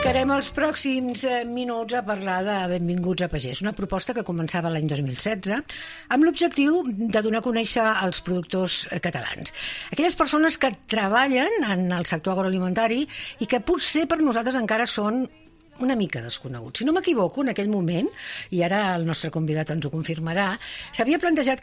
Dedicarem els pròxims minuts a parlar de Benvinguts a Pagès, una proposta que començava l'any 2016 amb l'objectiu de donar a conèixer els productors catalans. Aquelles persones que treballen en el sector agroalimentari i que potser per nosaltres encara són una mica desconeguts. Si no m'equivoco, en aquell moment, i ara el nostre convidat ens ho confirmarà, s'havia plantejat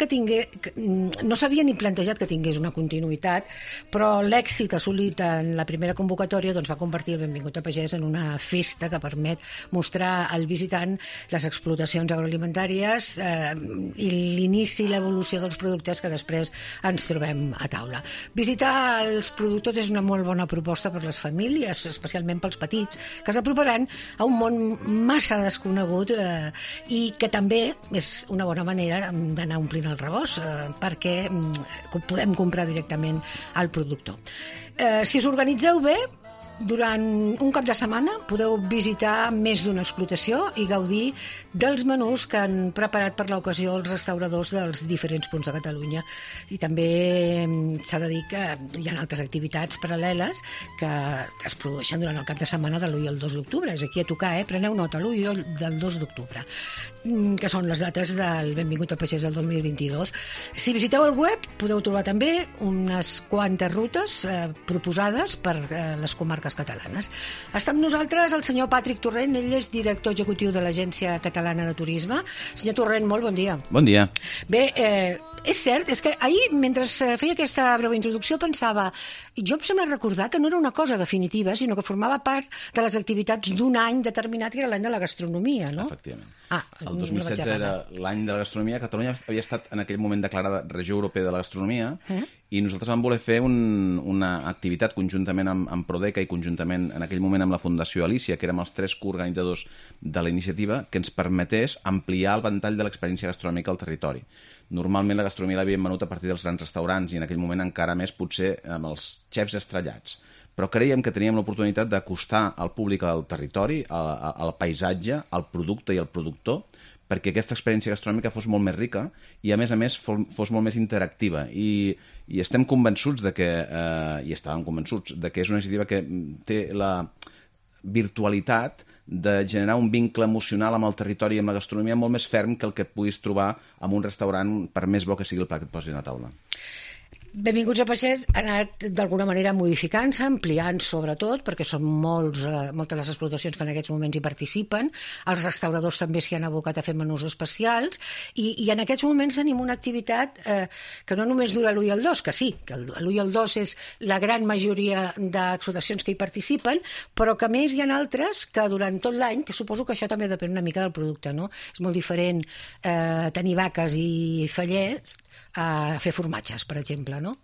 no s'havia ni plantejat que tingués una continuïtat, però l'èxit assolit en la primera convocatòria va convertir el Benvingut a Pagès en una festa que permet mostrar al visitant les explotacions agroalimentàries i l'inici i l'evolució dels productes que després ens trobem a taula. Visitar els productors és una molt bona proposta per les famílies, especialment pels petits, que s'aproparan a un món massa desconegut i que també és una bona manera d'anar omplint el rebost perquè podem comprar directament al productor. Si us organitzeu bé, durant un cap de setmana podeu visitar més d'una explotació i gaudir dels menús que han preparat per l'ocasió els restauradors dels diferents punts de Catalunya. I també s'ha de dir que hi ha altres activitats paral·leles que es produeixen durant el cap de setmana de l'1 i el 2 d'octubre. És aquí a tocar, preneu nota, l'1 i el 2 d'octubre, que són les dates del Benvingut a Pagès del 2022. Si visiteu el web podeu trobar també unes quantes rutes proposades per les comarques catalanes. Està amb nosaltres el senyor Patrick Torrent, ell és director executiu de l'Agència Catalana de Turisme. Senyor Torrent, molt bon dia. Bon dia. Bé, és cert, és que ahir, mentre feia aquesta breu introducció, pensava, jo em sembla recordar que no era una cosa definitiva, sinó que formava part de les activitats d'un any determinat, que era l'any de la gastronomia, no? Efectivament. El 2016 era l'any de la gastronomia. Catalunya havia estat en aquell moment declarada regió europea de la gastronomia i nosaltres vam voler fer una activitat conjuntament amb Prodeca i conjuntament en aquell moment amb la Fundació Alícia, que érem els tres coorganitzadors de la iniciativa, que ens permetés ampliar el ventall de l'experiència gastronòmica al territori. Normalment la gastronomia l'havíem venut a partir dels grans restaurants i en aquell moment encara més potser amb els xefs estrellats. Però creiem que teníem l'oportunitat d'acostar al públic al territori, al paisatge, al producte i al productor, perquè aquesta experiència gastronòmica fos molt més rica i, a més, fos molt més interactiva. I estem convençuts i estàvem convençuts de que és una iniciativa que té la virtualitat de generar un vincle emocional amb el territori i amb la gastronomia molt més ferm que el que puguis trobar en un restaurant, per més bo que sigui el plat que et posin a taula. Benvinguts a Pagès ha anat d'alguna manera modificant-se, ampliant sobretot, perquè són moltes les explotacions que en aquests moments hi participen, els restauradors també s'hi han abocat a fer menús especials, i en aquests moments tenim una activitat que no només dura l'1 i el 2, que sí, que l'1 i el 2 és la gran majoria d'explotacions que hi participen, però que més hi ha altres que durant tot l'any, que suposo que això també depèn una mica del producte, no? És molt diferent tenir vaques i fallets a fer formatges, per exemple, no?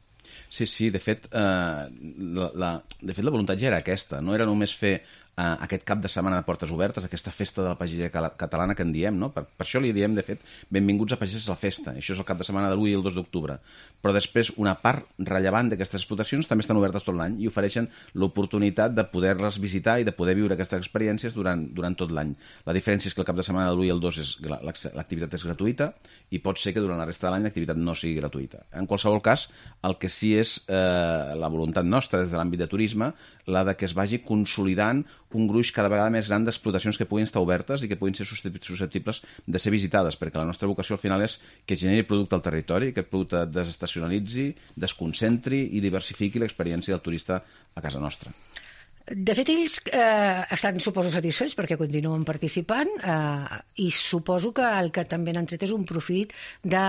Sí, de fet, la voluntat ja era aquesta, no era només fer aquest cap de setmana de portes obertes, aquesta festa de la pagesia catalana que en diem, no? Per això li diem, de fet, Benvinguts a Pagès a la festa. Això és el cap de setmana de l'1 i el 2 d'octubre. Però després, una part rellevant d'aquestes explotacions també estan obertes tot l'any i ofereixen l'oportunitat de poder-les visitar i de poder viure aquestes experiències durant tot l'any. La diferència és que el cap de setmana de l'1 i el 2 l'activitat és gratuïta i pot ser que durant la resta de l'any l'activitat no sigui gratuïta. En qualsevol cas, el que sí és la voluntat nostra des de l'àmbit de turisme, la de que es vagi consolidant un gruix cada vegada més gran d'explotacions que puguin estar obertes i que puguin ser susceptibles de ser visitades, perquè la nostra vocació al final és que generi producte al territori, que el producte desestacionalitzi, desconcentri i diversifiqui l'experiència del turista a casa nostra. De fet, ells estan, suposo, satisfets perquè continuen participant i suposo que el que també n'han tret és un profit de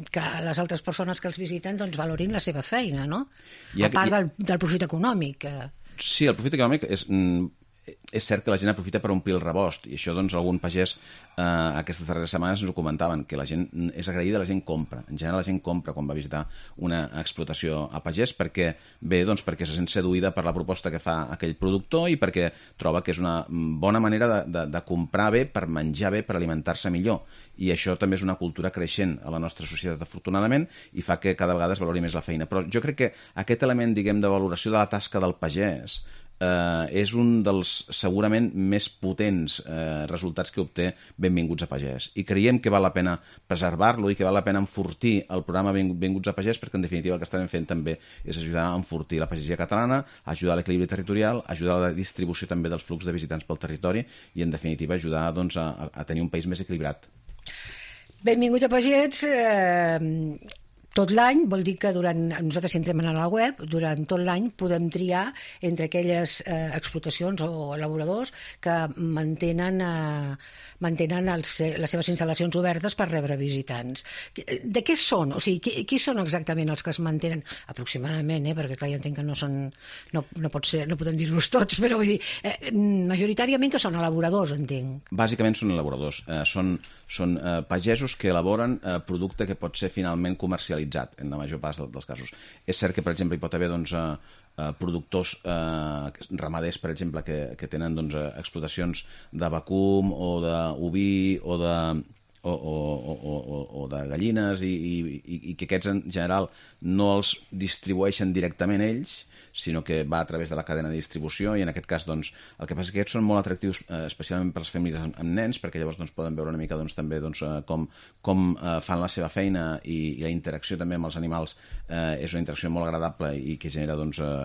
que les altres persones que els visiten valorin la seva feina, no? A part del profit econòmic. Sí, el profit econòmic és cert que la gent aprofita per omplir el rebost i això algun pagès aquestes darreres setmanes ens ho comentaven, que la gent és agraïda, la gent compra. En general la gent compra quan va visitar una explotació a pagès perquè se sent seduïda per la proposta que fa aquell productor i perquè troba que és una bona manera de comprar bé, per menjar bé, per alimentar-se millor. I això també és una cultura creixent a la nostra societat, afortunadament, i fa que cada vegada es valori més la feina. Però jo crec que aquest element, de valoració de la tasca del pagès és un dels segurament més potents resultats que obté Benvinguts a Pagès. I creiem que val la pena preservar-lo i que val la pena enfortir el programa Benvinguts a Pagès, perquè en definitiva el que estarem fent també és ajudar a enfortir la pagesia catalana, ajudar a l'equilibri territorial, ajudar a la distribució també dels flux de visitants pel territori i en definitiva ajudar doncs, a tenir un país més equilibrat. Benvingut a Pagès, tot l'any, vol dir que nosaltres si entrem a la web, durant tot l'any podem triar entre aquelles explotacions o elaboradors que mantenen les seves instal·lacions obertes per rebre visitants. De què són? O sigui, qui són exactament els que es mantenen? Aproximadament, perquè clar, ja entenc que no podem dir-los tots, però vull dir, majoritàriament que són elaboradors, entenc. Bàsicament són elaboradors. Són pagesos que elaboren producte que pot ser finalment comercialitzat en la major part dels casos. És cert que, per exemple, hi pot haver productors ramaders, per exemple, que tenen explotacions de vacum o d'oví o de gallines i que aquests en general no els distribueixen directament ells, sinó que va a través de la cadena de distribució i en aquest cas el que passa és que aquests són molt atractius especialment per les famílies amb nens perquè llavors poden veure una mica també com fan la seva feina i la interacció també amb els animals és una interacció molt agradable i que genera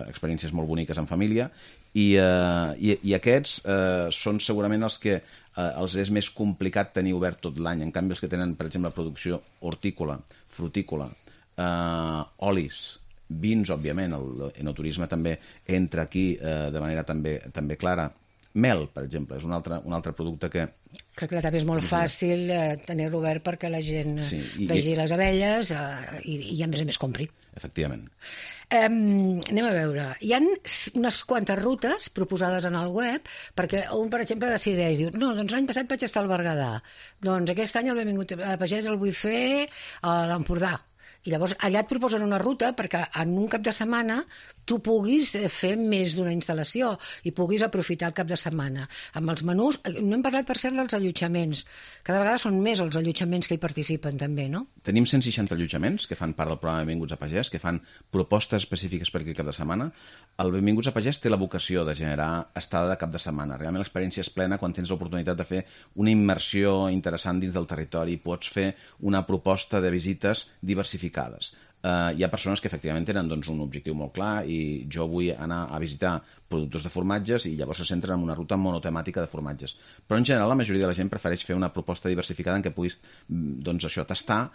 experiències molt boniques en família i aquests són segurament els que els és més complicat tenir obert tot l'any. En canvi, els que tenen, per exemple, producció hortícola, frutícola, olis, vins, òbviament, l'enoturisme també entra aquí de manera també clara. Mel, per exemple, és un altre producte que clar, també és molt fàcil tenir-lo obert perquè la gent vegi les abelles i a més compri. Efectivament. Anem a veure. Hi ha unes quantes rutes proposades en el web perquè un, per exemple, decideix, diu, no, doncs l'any passat vaig estar al Berguedà, doncs aquest any el Benvingut a Pagès el vull fer a l'Empordà. I llavors allà et proposen una ruta perquè en un cap de setmana tu puguis fer més d'una instal·lació i puguis aprofitar el cap de setmana. Amb els menús, no hem parlat per cert dels allotjaments. Cada vegada són més els allotjaments que hi participen també, no? Tenim 160 allotjaments que fan part del programa Benvinguts a Pagès, que fan propostes específiques per aquell cap de setmana. El Benvinguts a Pagès té la vocació de generar estada de cap de setmana. Realment l'experiència és plena quan tens l'oportunitat de fer una immersió interessant dins del territori. Pots fer una proposta de visites diversificades. Hi ha persones que efectivament tenen un objectiu molt clar i jo vull anar a visitar productors de formatges i llavors se centren en una ruta monotemàtica de formatges. Però en general la majoria de la gent prefereix fer una proposta diversificada en què puguis tastar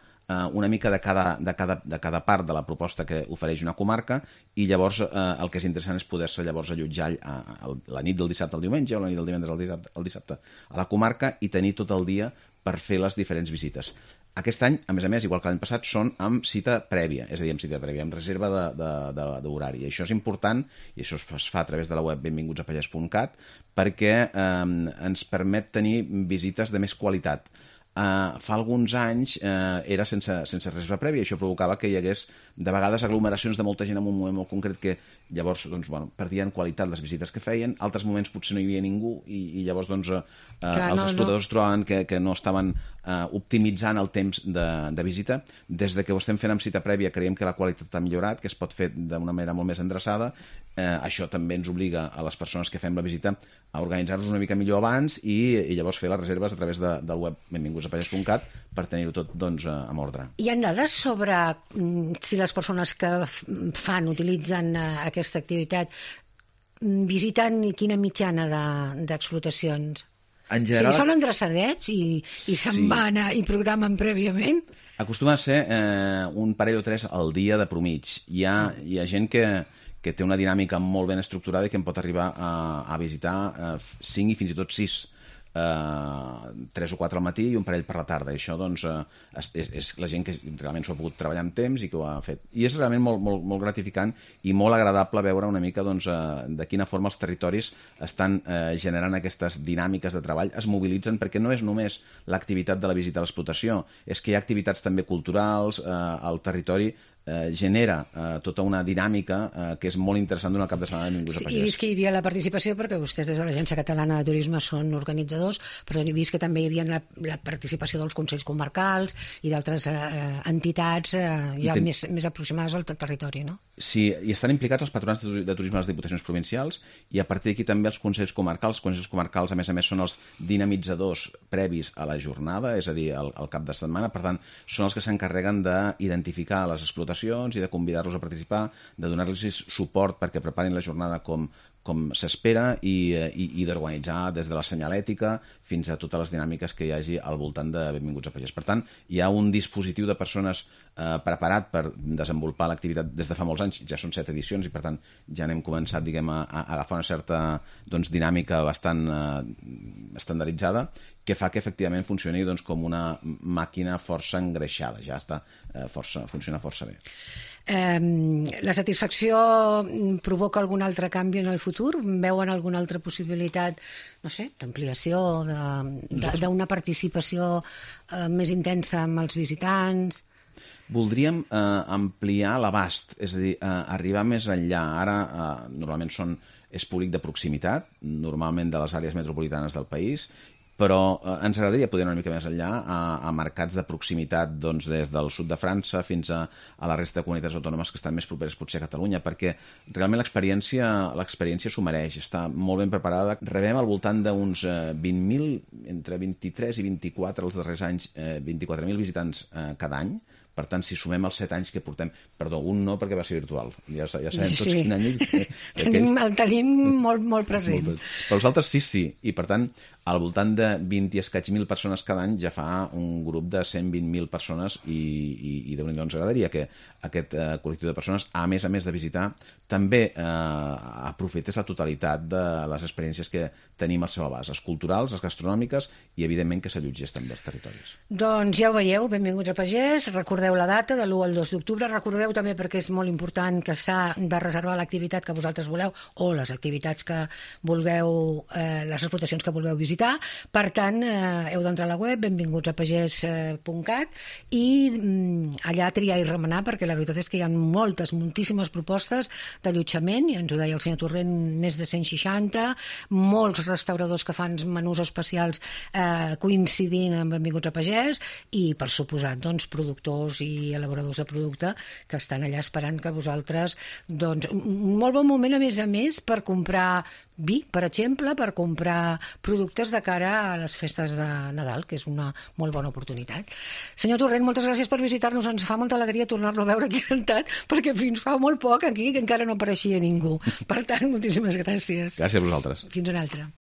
una mica de cada part de la proposta que ofereix una comarca i llavors el que és interessant és poder-se llavors allotjar la nit del dissabte al diumenge o la nit del divendres al dissabte a la comarca i tenir tot el dia per fer les diferents visites. Aquest any, a més, igual que l'any passat, són amb cita prèvia, és a dir, amb reserva d'horari. I això és important, i això es fa a través de la web benvingutsaPagès.cat, perquè ens permet tenir visites de més qualitat. Fa alguns anys era sense reserva prèvia i això provocava que hi hagués de vegades aglomeracions de molta gent en un moment molt concret que llavors perdien qualitat les visites que feien, altres moments potser no hi havia ningú i llavors els explotadors trobaven que no estaven optimitzant el temps de visita. Des que ho estem fent amb cita prèvia creiem que la qualitat ha millorat, que es pot fer d'una manera molt més endreçada. Això també ens obliga a les persones que fem la visita a organitzar-nos una mica millor abans i llavors fer les reserves a través del web benvingutsaPagès.cat per tenir-ho tot amb ordre. Hi ha dades sobre si les persones que utilitzen aquesta activitat visiten quina mitjana d'explotacions? En general... Són endreçadets i se'n van i programen prèviament? Acostuma a ser un parell o tres al dia de promig. Hi ha gent que té una dinàmica molt ben estructurada i que en pot arribar a visitar 5 i fins i tot 6. 3 o 4 al matí i un parell per la tarda. I això és la gent que realment s'ho ha pogut treballar amb temps i que ho ha fet. I és realment molt gratificant i molt agradable veure una mica de quina forma els territoris estan generant aquestes dinàmiques de treball, es mobilitzen, perquè no és només l'activitat de la visita a l'explotació, és que hi ha activitats també culturals al territori, genera tota una dinàmica que és molt interessant durant el cap de setmana de Benvinguts a Pagès. He vist que hi havia la participació, perquè vostès des de l'Agència Catalana de Turisme són organitzadors, però he vist que també hi havia la participació dels consells comarcals i d'altres entitats ja més aproximades al territori, no? Sí, hi estan implicats els patronats de turisme de les diputacions provincials i a partir d'aquí també els consells comarcals. Els consells comarcals, a més, són els dinamitzadors previs a la jornada, és a dir, al cap de setmana. Per tant, són els que s'encarreguen d'identificar les explotacions i de convidar-los a participar, de donar-los suport perquè preparin la jornada com s'espera i d'organitzar des de la senyalètica fins a totes les dinàmiques que hi hagi al voltant de Benvinguts a Pagès. Per tant, hi ha un dispositiu de persones preparat per desenvolupar l'activitat des de fa molts anys. Ja són 7 edicions i, per tant, ja n'hem començat, a agafar una certa dinàmica bastant estandarditzada que fa que, efectivament, funcioni com una màquina força engreixada. Ja funciona força bé. La satisfacció provoca algun altre canvi en el futur? Veuen alguna altra possibilitat, no sé, d'ampliació, d'una participació més intensa amb els visitants? Voldríem ampliar l'abast, és a dir, arribar més enllà. Ara, normalment és públic de proximitat, normalment de les àrees metropolitanes del país, però ens agradaria poder anar una mica més enllà a mercats de proximitat des del sud de França fins a la resta de comunitats autònomes que estan més properes potser a Catalunya, perquè realment l'experiència s'ho mereix, està molt ben preparada. Rebem al voltant d'uns 20.000, entre 23 i 24 els darrers anys, 24.000 visitants cada any. Per tant, si sumem els 7 anys que portem... Perdó, un no, perquè va ser virtual. Ja sabem tots quin any... El tenim molt present. Però els altres sí. I, per tant, al voltant de 20 i escaig mil persones cada any ja fa un grup de 120.000 persones i Déu-n'hi-do, ens agradaria que aquest col·lectiu de persones, a més de visitar, també aprofités la totalitat de les experiències que tenim al seu abast, les culturals, les gastronòmiques i, evidentment, que s'allotgés també als territoris. Doncs ja ho veieu, benvinguts a Pagès. Recordeu la data, de l'1 al 2 d'octubre. Recordeu també, perquè és molt important, que s'ha de reservar l'activitat que vosaltres voleu o les activitats que vulgueu, les explotacions que vulgueu visitar. Per tant, heu d'entrar a la web benvingutsapagès.cat i allà triar i remenar, perquè la veritat és que hi ha moltíssimes propostes d'allotjament, i ens ho deia el senyor Torrent, més de 160, molts restauradors que fan menús especials coincidint amb Benvinguts a Pagès i, per suposat, productors i elaboradors de producte que estan allà esperant que vosaltres... un molt bon moment, a més, per comprar vi, per exemple, per comprar productes de cara a les festes de Nadal, que és una molt bona oportunitat. Senyor Torrent, moltes gràcies per visitar-nos. Ens fa molta alegria tornar-lo a veure aquí sentat, perquè fins fa molt poc aquí encara no apareixia ningú. Per tant, moltíssimes gràcies. Gràcies a vosaltres. Fins una altra.